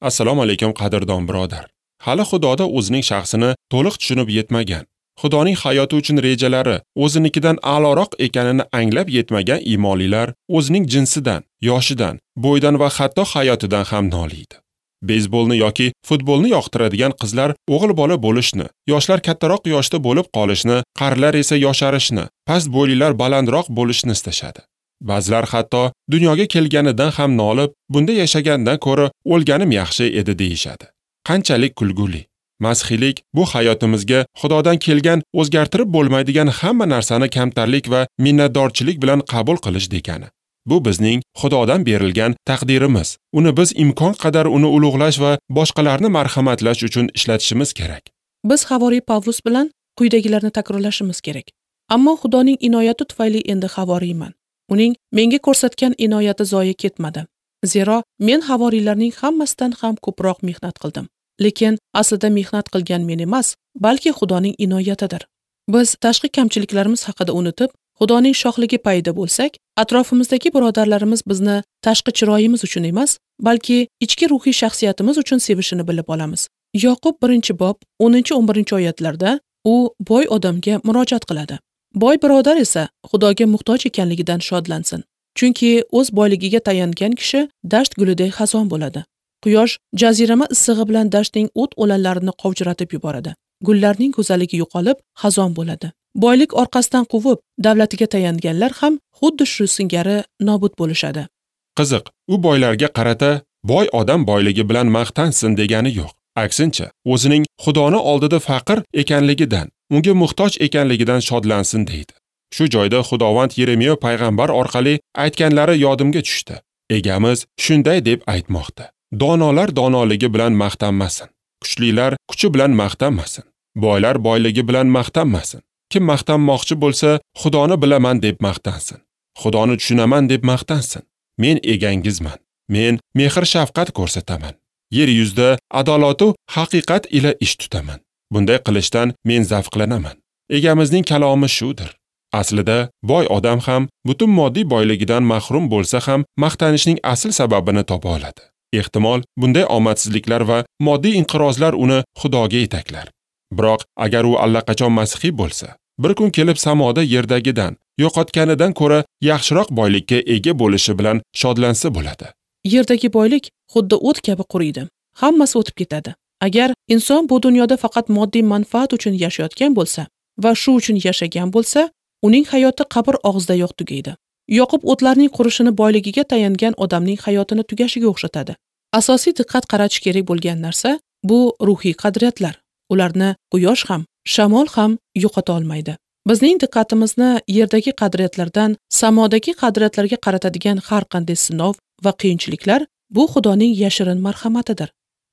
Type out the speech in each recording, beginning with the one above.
Assalomu alaykum qadrdon birodar. Hali Xudoda o'zining shaxsini to'liq tushunib yetmagan, Xudoning hayoti uchun rejalari o'zinikidan a'loroq ekanini anglab yetmagan iymonlilar o'zining jinsidan, yoshidan, bo'yidan va hatto hayotidan ham noliydi. Beyzbolni yoki futbolni yoqtiradigan qizlar o'g'il bola bo'lishni, yoshlar kattaroq yoshda bo'lib qolishni, qarilar esa yosharishni, past bo'ylilar balandroq bo'lishni istashadi. Ba'zilar hatto dunyoga kelganidan ham nolib, bunda yashagandan ko'ra o'lganim yaxshi edi deyishadi. Qanchalik kulguli. Masihiylik bu hayotimizga Xudodan kelgan o'zgartirib bo'lmaydigan hamma narsani kamtarlik va minnatdorchilik bilan qabul qilish degani. Bu bizning Xudodan berilgan taqdirimiz. Uni biz imkon qadar uni ulug'lash va boshqalarni marhamatlash uchun ishlatishimiz kerak. Biz havoriy Pavlus bilan quyidagilarni takrorlashimiz kerak. Ammo Xudoning inoyati tufayli endi havoriyman. Uning menga ko'rsatgan inoyati zoye ketmadi. Zero men havoriylarning hammasidan ham ko'proq mehnat qildim. Lekin aslida mehnat qilgan men emas, balki Xudoning inoyatidir. Biz tashqi kamchiliklarimiz haqida unutib, Xudoning shohligi payida bo'lsak, atrofimizdagi birodarlarimiz bizni tashqi chiroyimiz uchun emas, balki ichki ruhiy shaxsiyatimiz uchun sevishini bilib olamiz. Yoqub 1-bob 10-11 oyatlarda u boy odamga murojaat qiladi. Boy birodar esa Xudoga muhtoj ekanligidan shodlansin. Chunki o'z boyligiga tayangan kishi dasht gulidek xazon bo'ladi. Quyosh jazirama issig'i bilan dashtning o't o'lanlarini qovjiratib yuboradi. Gullarning go'zalligi yo'qolib, xazon bo'ladi. Boylik orqasidan quvib, davlatiga tayanganlar ham xuddi shu singari nobud bo'lishadi. Qiziq, u boylarga qarata boy odam boyligi bilan maqtansin degani yo'q. Aksincha, o'zining Xudoni oldida faqir ekanligidan, unga muhtoj ekanligidan shodlansin deydi. Shu joyda Xudovand Yeremiya payg'ambar orqali aytganlari yodimga tushdi. Egamiz shunday deb aytmoqda: Donolar donoligi bilan maqtanmasin, kuchlilar kuchi bilan maqtanmasin, boylar boyligi bilan maqtanmasin. Kim maqtanmoqchi bo'lsa, Xudoni bilaman deb maqtansin. Xudoni tushunaman deb maqtansin. Men egangizman. Men mehr shafqat ko'rsataman. Yer yuzida adolatu haqiqat ila ish tutaman. Bunday qilishdan men zavqlanaman. Egamizning kalomi shudir. Aslida boy odam ham butun moddiy boyligidan mahrum bo'lsa ham maqtanishning asl sababini topa oladi. Ehtimol bunday omadsizliklar va moddiy inqirozlar uni Xudoga yetaklar. Biroq agar u allaqachon masihiy bo'lsa, bir kun kelib samoda yerdagidan, yo'qotganidan ko'ra yaxshiroq boylikka ega bo'lishi bilan shodlansa bo'ladi. Yerdagi boylik xuddi o't kabi quriydi. Hammasi o'tib ketadi. Agar inson bu dunyoda faqat moddiy manfaat uchun yashayotgan bo'lsa va shu uchun yashagan bo'lsa, uning hayoti qabr og'zidayoq tugaydi. Yoqub o'tlarning qurishini boyligiga tayangan odamning hayotini tugashiga o'xshatadi. Asosiy diqqat qaratish kerak bo'lgan narsa bu ruhiy qadriyatlar. Ularni quyosh ham, shamol ham yo'qota olmaydi. Bizning diqqatimizni yerdagi qadriyatlardan samodagi qadriyatlarga qaratadigan har qanday sinov va qiyinchiliklar bu Xudoning yashirin marhamatidir.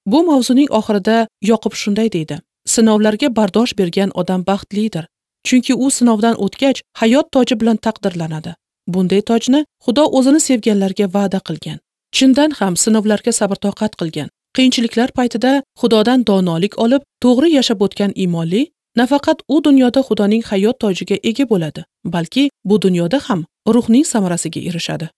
Bu mavzuning oxirida Yoqub shunday deydi: Sinovlarga bardosh bergan odam baxtlidir. Chunki u sinovdan o'tgach hayot toji bilan taqdirlanadi. Bunday tojni Xudo o'zini sevganlarga va'da qilgan. Chindan ham sinovlarga sabr-toqat qilgan, qiyinchiliklar paytida Xudodan donolik olib, to'g'ri yashab o'tgan iymonli nafaqat u dunyoda Xudoning hayot tojiga ega bo'ladi, balki bu dunyoda ham ruhning samarasiga erishadi.